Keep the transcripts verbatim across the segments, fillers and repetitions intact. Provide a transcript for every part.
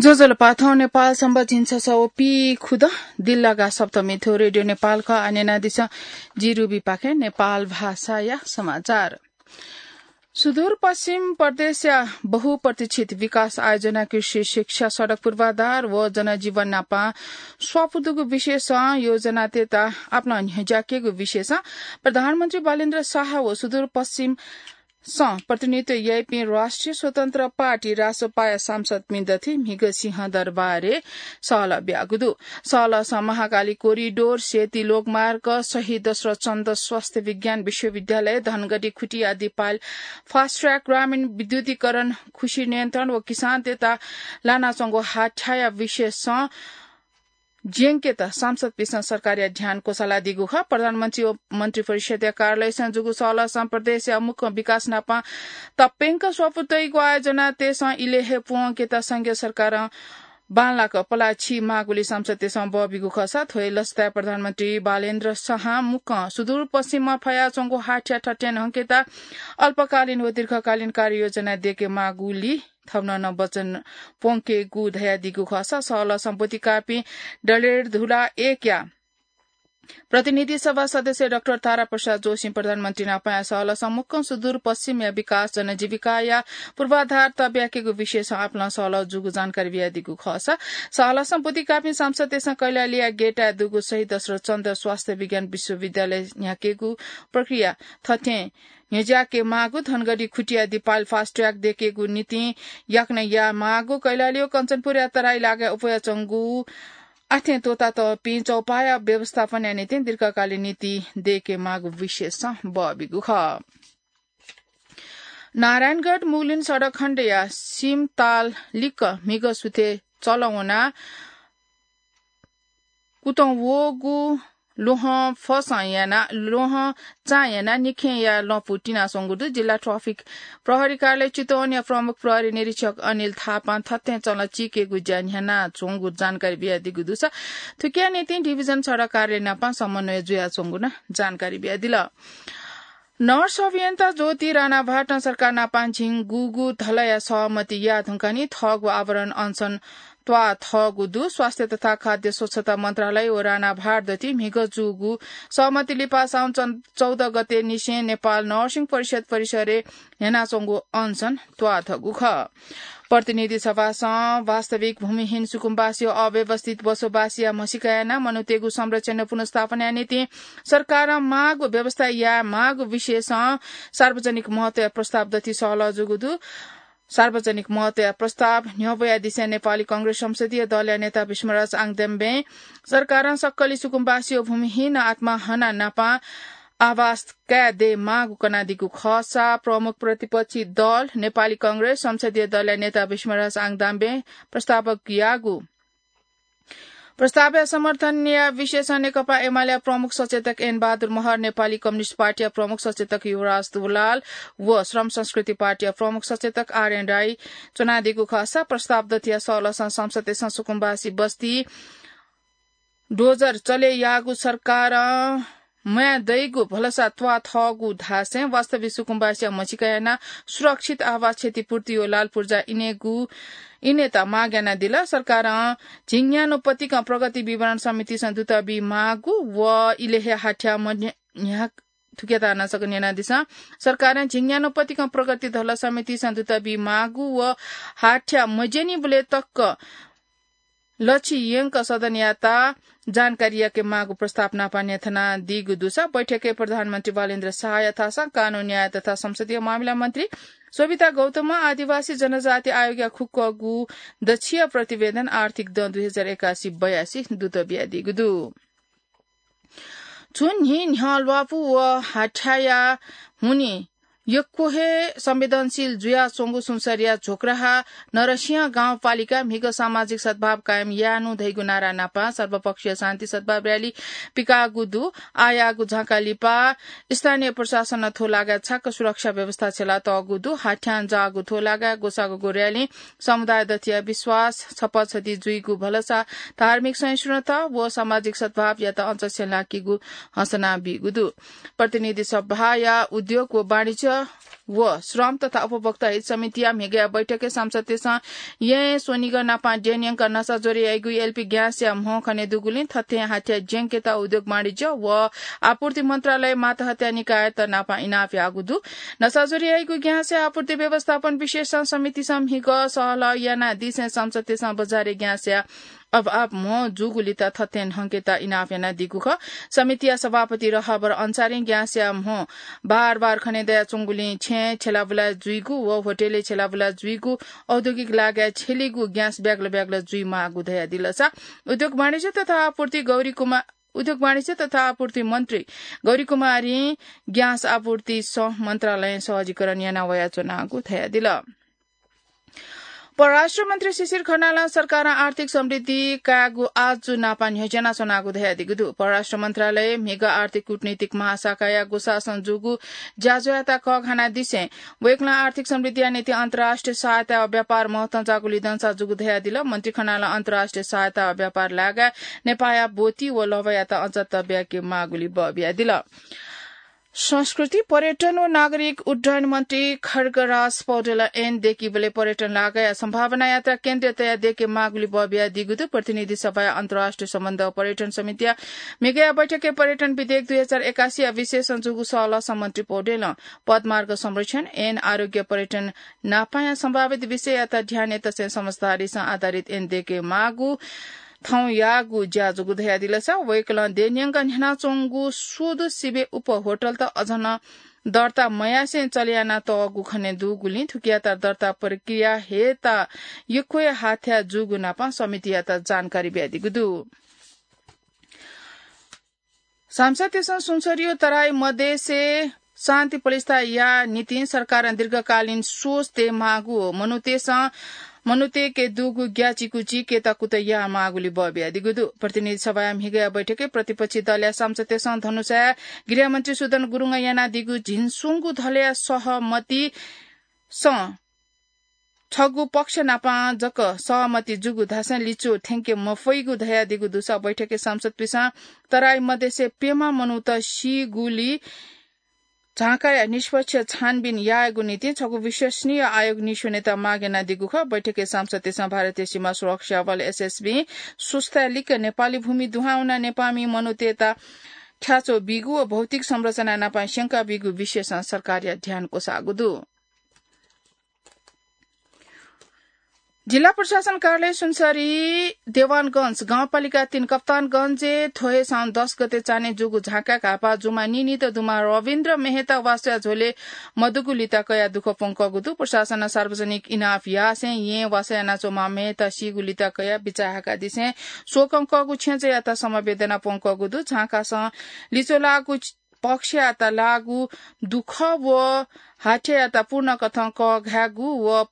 ज्वजलपा, थौं नेपाल संवत् झिंछसः व पीखुदँ दिल्लागा सप्तमी थ्व रेडियो नेपाल खः। आः न्यनादिसँ जि रुबीपाखें नेपाल भाषाया समाचार। सुदूरपश्चिम प्रदेशया बहुप्रतीक्षित विकास आयोजना, कृषि, शिक्षा, सडक, पूर्वाधार व जनजीवन नापं स्वापू दुगु विषयसं योजनातय्त आपालं न्ह्यज्याकेगु विषयसं प्रधानमन्त्री बालेन्द्र शाह व सुदूरपश्चिम सं प्रतिनिधित्व याइपिं राष्ट्रिय स्वतन्त्र पार्टी, रासपाया, सांसदपिं दथुइ म्हिगः सिंहदरबारय् सहलह ब्यागु दु। सहलहसं महाकाली कोरिडोर, सेती लोकमार्ग, शहीद दशरथ चन्द स्वास्थ्य विज्ञान विश्वविद्यालय, धनगढी खुटिया दिपाल, फास्ट ट्र्याक, ग्रामीण विद्युतीकरण, खुसी नियन्त्रण व किसानतय्त लानाच्वंगु हाथ्याया विषयसं ज्यंकेत सांसदपिन्सं सरकारया ध्यान क्वसालादीगु खः। प्रधानमन्त्री व मन्त्रिपरिषदया कार्यालयसं जूगु सहलहसं प्रदेशया मुख्य विकास नापं तप्यंक स्वापू तइगु आयोजनातय्सं इलय् हे पूवंकेत संघीय सरकारं बांलाक पलाः छि माःगुलिं सांसदतय्सं बः बीगु खःसा थ्व हे लसताय् प्रधानमन्त्री बालेन्द्र शाहं मुक्कं सुदूरपश्चिमं फयाच्वंगु हाथ्या थथें न्हंकेत अल्पकालीन व दीर्घकालीन कार्ययोजना दयेके माःगुलिं थन नं वचन प्वंकेगु धयादीगु खःसा सहलहसं ब्वति काःपिं डडेलधुरा एकया प्रतिनिधि सभा सदस्य डाक्टर तारा प्रसाद जोशीं प्रधानमन्त्री नापंया सहलहसं मुक्कं सुदूरपश्चिमया विकास, जनजीविकाया पूर्वाधार तब्याकेगु विषयसं आपालं सहलह जूगु जानकारी बियादीगु खःसा सहलहसं ब्वति काःपिं सांसदतय्सं कैलालीया गेटाय् दुगु शहीद दशरथ चन्द स्वास्थ्य विज्ञान विश्वविद्यालय न्ह्याकेगु प्रक्रिया थथें न्ह्यज्याके माःगु, धनगढी खुटिया दिपाल फास्ट ट्र्याक दयेकेगु निंतिं याकनं याये माःगु, कैलाली व कञ्चनपुरया तराई लागाय् अप्वयाच्वंगु आथें त्वःतातःपिं चौपाया व्यवस्थापनया निंतिं दीर्घकालीन नीति दयेके माःगु विषयसं बः बीगु खः। नारायणगढ मुगलिन सडक खण्डया सिमताल लिक्क म्हिगः सुथय् चलं वनाः कुतं वःगु ल्वहं फसं यानाः, ल्वहं चां यानाः निखेंया लँपु तिनाच्वंगु दु। जिल्ला ट्राफिक प्रहरी कार्यालय चितवनया प्रमुख प्रहरी निरीक्षक अनिल थापां थथें चलं चीकेगु ज्या न्ह्यानाच्वंगु जानकारी बियादीगु दुसा थुकिया निंतिं डिभिजन सडक कार्यालय नापं समन्वय जुयाच्वंगु नं जानकारी बियादिल। नर्स अभियन्ता ज्योति राणाभाटं सरकार नापं झिंगुगु धलया सहमति याये धुंकाः निं थःगु आवरण अनसन त्वाः थःगु दु। स्वास्थ्य तथा खाद्य स्वच्छता मन्त्रालय व राणाभाट दथुइ म्हिगः जूगु सहमति लिपा साउन चौध गते निसें नेपाल नर्सिङ परिषद परिसरय् न्ह्यानाच्वंगु अनसन त्वाःधःगु खः। प्रतिनिधि सभासं वास्तविक भूमिहीन सुकुम्बासी व अव्यवस्थित बसोबासीया म्हसीका यानाः मनूतय्गु संरक्षण व पुनर्स्थापनाया निंतिं सरकारं माःगु व्यवस्था याये माःगु विषयसं सार्वजनिक महत्वया प्रस्ताव दथुइ सहलह जूगु दु। सार्वजनिक महत्वया प्रस्ताव न्ह्यब्वयादिसें नेपाली कांग्रेस संसदीय दलया नेता भिष्मराज आङदाम्बें सरकारं सक्कलि सुकुम्बासी व भूमिहीन आत्मा हनाः नापं आवास काये दये माःगु कनादीगु खःसा प्रमुख प्रतिपक्षी दल नेपाली कांग्रेस संसदीय दलया नेता भिष्मराज आङदाम्बें प्रस्तावयागु प्रस्तावया समर्थनया विषयसं नेकपा एमालेया प्रमुख सचेतक एन बहादुर महर, नेपाली कम्युनिस्ट पार्टीया प्रमुख सचेतक युवराज दुलाल व श्रम संस्कृति पार्टीया प्रमुख सचेतक आरएन राई च्वनादीगु खःसा प्रस्ताव दथुया सहलहसं संसदय्सं सुकुम्बासी बस्ती डोजर चले याःगु सरकारं म्वाये दइगु भलसा त्वाःधःगु धासें वास्तविक सुकुम्बासीया म्हसीका यानाः सुरक्षित आवास क्षतिपूर्ति व लालपुर्जा इनेगु, इनेत माग यानादिल। सरकारं झिंन्यान्हु पतिकं प्रगति विवरण समितिसं दुत बी माःगु व इलय् हे हाथ्या मन्य-, न्ह्या-, थुकियात नं छकः न्यनादिसँ। सरकारं झिंन्यान्हु पतिकं प्रगति धलः समितिसं दुत बी माःगु व हाथ्या मज्यनीबलय् तक लछि यंक सदनयात जानकारी याके माःगु प्रस्ताव नापं न्ह्यथनादीगु दुसा बैठकय् प्रधानमन्त्री बालेन्द्र शाहया थासं कानून, न्याय तथा संसदीय मामिला मन्त्री शोभिता गौतमं आदिवासी जनजाति आयोगया खुक्कगु दछिया प्रतिवेदन आर्थिक दँ दुई हजार एकासी बयासी दुत बियादीगु दु। छुं न्हि न्ह्यः ल्वापु व हाथ्याया हुनिं यक्व हे संवेदनशील जुयाच्वंगु सुनसरीया झोक्राहा नरसिंह गाउँपालिका म्हिगः सामाजिक सद्भाव कायम यायेनु धइगु नारा नापं सर्वपक्षीय शान्ति सद्भाव र्‍याली पिकाःगु दु। आःयाःगु झाँका लिपा स्थानीय प्रशासनं थ्व लागाय् छाक्क सुरक्षा व्यवस्था छ्यलातःगु दु। हाथ्यां जाःगु थ्व लागाय् ग्वसाःग्वःगु र्‍यालीं समुदाय दथुया विश्वास छपछति जुइगु भलसा धार्मिक सहिष्णुता व सामाजिक सद्भावयात अझ छ्यलाकीगु हँसना बीगु दु। प्रतिनिधि सभाया उद्योग व वाणिज्य व श्रम तथा उपभोक्ता हित समितिया म्हिगया बैठकय् सांसदतय्सं यें स्वनिगः नापं द्यंन्यंक नसाज्वरय् याइगु एलपी ग्याँसया म्ह खने दुगुलिं थथें हाथ्या ज्यंकेत उद्योग वाणिज्य व आपूर्ति मन्त्रालय मातहतया निकायत नापं इनाप याःगु दु। नसाज्वरय् याइगु ग्याँसया आपूर्ति व्यवस्थापन विशेषज्ञ समितिसं म्हिगः सहलह यानादिसें सांसदतय्सं बजारय् ग्याँसया अभाव म्ह जूगुलित थथें न्हंकेत इनाप यानादीगु खः। समितिया सभापति रहबर अन्सारीं ग्याँसया म्ह बार बार खने दयाच्वंगुलिं छेँय् छ्यलाबुला जुइगु व होटलय् छ्यलाबुला जुइगु, औद्योगिक लागाय् छ्यलीगु ग्याँस ब्यागल ब्यागल जुइमाःगु धयादिल। सा उद्योग वाणिज्य तथा आपूर्ति गौरी कुमार, उद्योग वाणिज्य तथा आपूर्ति मन्त्री गौरी कुमारीं ग्याँस आपूर्ति सह मन्त्रालयं सहजीकरण याना वयाच्वनागु धयादिल। परराष्ट्र मन्त्री शिशिर खनालं सरकारं आर्थिक समृद्धि कायेगु आजु नापं न्ह्यज्यानाच्वनागु धयादीगु दु। परराष्ट्र मन्त्रालय म्हिगः आर्थिक कूटनीतिक महाशाखाया गुसासं जूगु ज्याझ्वःयात कःघानादिसें वय्कलं आर्थिक समृद्धिया निंतिं अन्तर्राष्ट्रिय सहायता व व्यापार महत्वं जाःगु लिधंसा जूगु धयादिल। मन्त्री खनालं अन्तर्राष्ट्रिय सहायता व व्यापार लागाय् नेपाःया ब्वति व लभ्वायात अझ तब्याके माःगुली बः बियादिल। संस्कृति, पर्यटन व नागरिक उड्डयन मन्त्री खड्गराज पौडेलं ऐन दय्कीबलय् पर्यटन लागाया सम्भावना यात्रा केन्द्रीय तया दय्के माःगुली बः बियादीगु दु। प्रतिनिधि सभाया अन्तर्राष्ट्रिय सम्बन्ध व पर्यटन समितिया म्हिगया बैठकय् पर्यटन विधेयक दुई हजार एकासीया विषयसं जूगु सहलहसं मन्त्री पौडेलं पदमार्ग संरक्षण, ऐन, आरोग्य, पर्यटन नापाया सम्भावित विषययात ध्यानय् तसें समझदारीसं आधारित ऐन दय्के माःगु थौं याःगु ज्या जूगु धयादिलसा वय्कलं देय्न्यंक न्ह्यानाच्वंगु स्वदँ सिबें उप होटलत अझ नं दर्ता मयासें चले यानातःगु खने दुगुलिं थुकियात दर्ता प्रक्रिया हयेत यक्व हे हाथ्या जूगु नापं समितियात जानकारी बियादीगु दु। सांसदतय्सं सुनसरीयो तराई मधेसय् शान्ति प्रतिष्ठा यायेया निंतिं सरकारं दीर्घकालीन सोच तयेमाःगु, मनूतय्सं, मनूतय्के दुगु ग्याचिकुचिकेत कुतः यायेमाःगुली बः बियादीगु दु। प्रतिनिधि सभाया म्हिगया बैठकय् प्रतिपक्षी दलया सांसदतय्सं धनुषाया गृहमन्त्री सुदन गुरुङं यानादीगु झिंस्वंगू दलया सहमतिसं छगू पक्ष नापं जक सहमति जूगु धासें लिच्वः थ्यंके मफइगु धयादीगु दुसा बैठकय् सांसदपिसं तराई मधेसय् प्यम्ह मनूत सीगुली झांकाया निष्पक्ष छानबिन यायेगु निंतिं छगू विश्वसनीय आयोग निस्वनेत माग यानादीगु खः। बैठकय् सांसदतय्सं भारतीय सीमा सुरक्षा बल, एसएसबी, सुस्ताय् लिक्क नेपाली भूमि दुहां वनाः नेपाःमि मनूतय्त थ्याच्वः बीगु व भौतिक संरचना नापं स्यंका बीगु विषयसं सरकारया ध्यान क्वसाःगु दु। जिल्ला प्रशासन कार्यालय सुनसरी देवानगंज गाउँपालिका तीन कप्तानगंजय् थ्व हे साउन दस गते चान्हय् जूगु झांकाय् घाःपाः जूम्ह नीनित दुम्ह रविन्द्र मेहता वासःया झ्वलय् मदुगु लिता कयाः दुःख प्वंकःगु दु। प्रशासनं सार्वजनिक इनाप यासें येँय् वासः यानाच्वंम्ह मेहता सीगु लिता कयाः बिचाः हाकादिसें स्वकंकःगु छेँजःयात समवेदना प्वंकःगु दु। झांकासं लिच्वः लाःगु पक्षयात लाःगु दुःख व हाथ्यायात पूर्ण कथं कःघायेगु व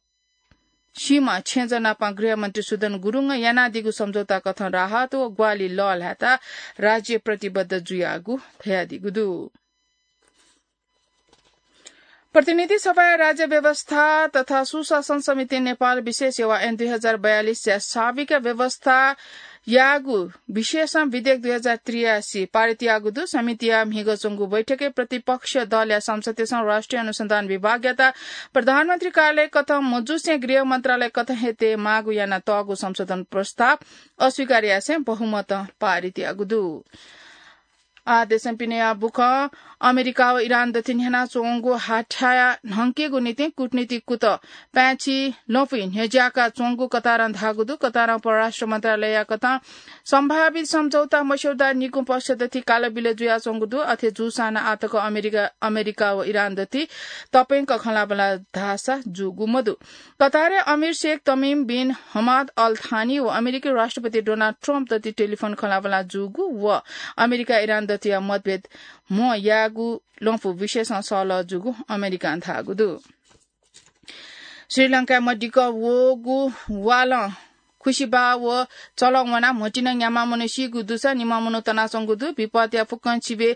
सीम्ह छेँजः नापं गृहमन्त्री सुदन गुरुङं यानादीगु सम्झौता कथं राहत व ग्वाहालि लःल्हायेत राज्य प्रतिबद्ध जुयागु धयादीगु दु। प्रतिनिधि सभाया राज्य व्यवस्था तथा सुशासन समितिं नेपाल विशेष सेवा ऐन दुई हजार बयालिसया साविक व्यवस्था याःगु विषयसं विधेयक दुई हजार त्रियासी पारित याःगु दु। समितिया म्हिगः च्वंगु बैठकय् प्रतिपक्ष दलया सांसदतय्सं राष्ट्रिय अनुसन्धान विभागयात प्रधानमन्त्री कार्यालय कथं मजूसें गृह मन्त्रालय कथं हे तयेमाःगु यानातःगु संशोधन प्रस्ताव अस्वीकार यासें बहुमतं पारित याःगु दु। आ देशं पिनेया बुखँ अमेरिका व इरान दथुइ न्ह्यानाच्वंगु हाथ्याया न्हंकेगु निंतिं कूटनीतिक कुतः पाय्छि ल्वपुइ न्ह्यज्याका च्वंगु कतारं धाःगु दु। कतारं परराष्ट्र मन्त्रालयया कथं सम्भावित सम्झौता मस्यौदा निगू पक्ष दथुइ कालबिल जुयाच्वंगु दु। अथे जूसां नं आःतक अमेरिका, अमेरिका व इरान दथुइ तप्यंक खँल्हाबल्हा धाःसा जूगु मदु। कतारय् अमीर शेख तमिम बिन हमाद अल थानी व अमेरिकी राष्ट्रपति डोनाल्ड ट्रम्प दथुइ टेलिफोन खँल्हाबल्हा जूगु व अमेरिका इरान दथुया मतभेद म्हो यायेगु ल्वपु विषयसं सहलह जूगु अमेरिकां धाःगु दु। श्रीलंकाय् मदिक्क वःगु वालं खुसिबा व चलं वनाः म्हतिनं न्याम्ह मनू सीगु दुसा निम्ह मनू तनाच्वंगु दु। विपदया फुक्कं सिबें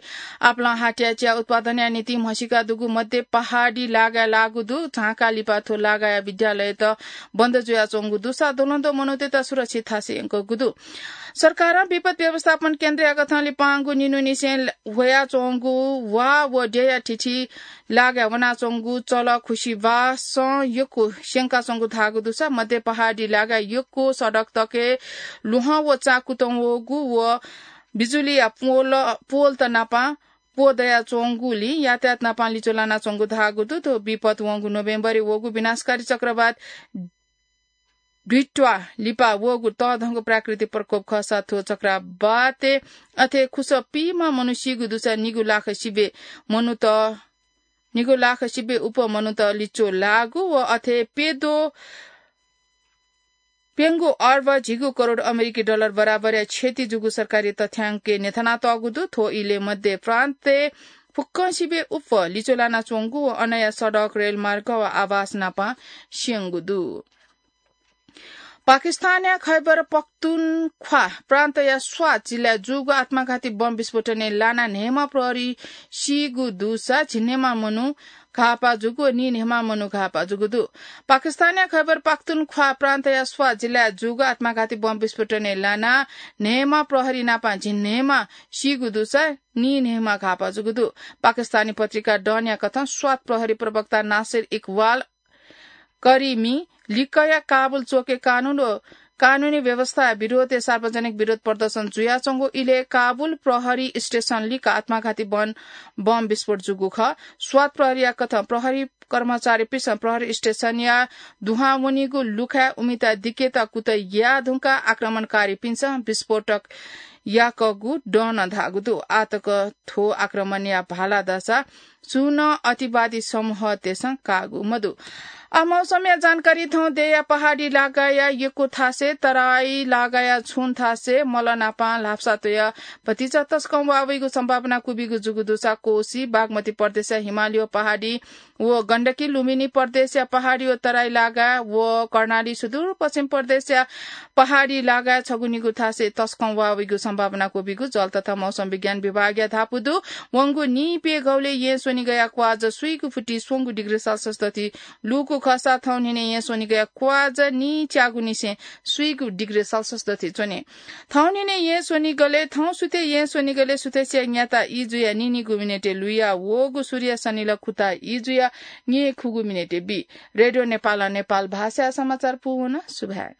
आपालं हाटया चिया उत्पादनया निंतिं म्हसीका दुगु मध्य पहाडी लागाय् लाःगु दु। झांका लिपा थ्व लागाया विद्यालयत बन्द जुयाच्वंगु दुसा द्वलंद्वः मनूतय्त सुरक्षित थासय् यंकूगु दु। सरकारं विपद व्यवस्थापन केन्द्रया कथं लिपांगु निन्हुनिसें ह्वयाच्वंगु वा व द्यःया थिथि लागाय् वनाच्वंगु चलं खुसिबासं यक्व स्यंकाच्वंगु धाःगु दुसा मध्य पहाडी लागाय् यक्व सडक तकय् ल्वहं व चाकुतं वःगु व बिजुलीया पोल, पोलत नापं प्वः दयाच्वंगुलिं यातायात नापं लिच्वः लानाच्वंगु धाःगु दु। थ्व विपद वंगु नोभेम्बरय् वःगु विनाशकारी चक्रवात ड्विट्वा लिपा वःगु तःधंगु प्राकृतिक प्रकोप खःसा थ्व चक्रवातय् अथे खुसः पीम्ह मनू सीगु दुसा निगू लाख सिबें मनूत, निगू लाख सिबें उप्वः मनूत लिच्वः लाःगु व अथे प्यद्वः प्यंगू अर्ब झिगू करोड अमेरिकी डलर बराबरया क्षति जूगु सरकारी तथ्याङ्कय् न्ह्यथनातःगु दु। थ्व इलय् मध्य प्रान्तय् फुक्कं सिबें उप्वः लिच्वः लानाच्वंगु व अनया सडक, रेलमार्ग व आवास नापं स्यंगु दु। पाकिस्तानया खैबर पख्तुनख्वा प्रान्तया स्वात जिल्लाय् जूगु आत्मघाती बम विस्फोटनय् लानाः न्हय्म्ह प्रहरी सीगु दुसा झिंन्हय्म्ह मनू घाःपाः जूगु व नीन्हय्म्ह मनू घाःपाः जूगु दु। पाकिस्तानया खैबर पख्तुनख्वा प्रान्तया स्वात जिल्लाय् जूगु आत्मघाती बम विस्फोटनय् लानाः न्हय्म्ह प्रहरी नापं झिंन्हय्म्ह सीगु दुसा नीन्हय्म्ह घाःपाः जूगु दु। पाकिस्तानी पत्रिका डनया कथं स्वात प्रहरी प्रवक्ता नासिर इकबाल करिमी लिक्कया काबुल चोकय् कानून व कानूनी व्यवस्था विरोधय् सार्वजनिक विरोध प्रदर्शन जुयाच्वंगु इलय् काबुल प्रहरी स्टेशन लिक्क आत्मघाती बम, बम विस्फोट जूगु खः। स्वात प्रहरीया कथं प्रहरी कर्मचारीपिन्सं प्रहरी स्टेशनया दुहां वनीगु लुखाय् उमिता दिकेत कुतः याये धुंकाः आक्रमणकारीपिन्सं विस्फोटक याकःगु डनं धाःगु दु। आःतक थ्व आक्रमणया भाला दःसा सुं नं अतिवादी समूहतय्सं काःगु मदु। आ, मौसमया जानकारी। थौं देय्या पहाडी लागाया यक्व थासय्, तराई लागाया छुं थासय् मल नापं ल्हापसा तयाः भतिचा तसकं वाः वइगु सम्भावना क्वबिगु जूगु दुसा कोसी, बागमती प्रदेशया हिमाली व पहाडी व गण्डकी, लुम्बिनी प्रदेशया पहाडी व तराई लागा व कर्णाली, सुदूरपश्चिम प्रदेशया पहाडी लागाय् छगू निगू थासय् तसकं वाः वइगु सम्भावना क्वबिगु जल तथा मौसम विज्ञान विभागया धापू दु। वंगु नीप्यघौलय् येँ स्वनिगःया क्वाःजः स्वीगू फुति स्वंगू डिग्री सेल्सियस दथि लूगु खःसा थौं न्हिनय् येँ स्वनिगःया क्वाःजः नीच्यागूनिसें स्वीगू डिग्री सेल्सियस दथि च्वने। थौं न्हिनय् येँ स्वनिगलय्, थौं सुथय् येँ स्वनिगलय् सुथसिया न्याता ई जुयाः नीनिगू मिनेटय् लुया वःगु सूर्य सनिलः खुता ई जुयाः न्येखुगू मिनेटय् बी। रेडियो नेपालं नेपाल भाषाया समाचार पूवन। सुभाय्।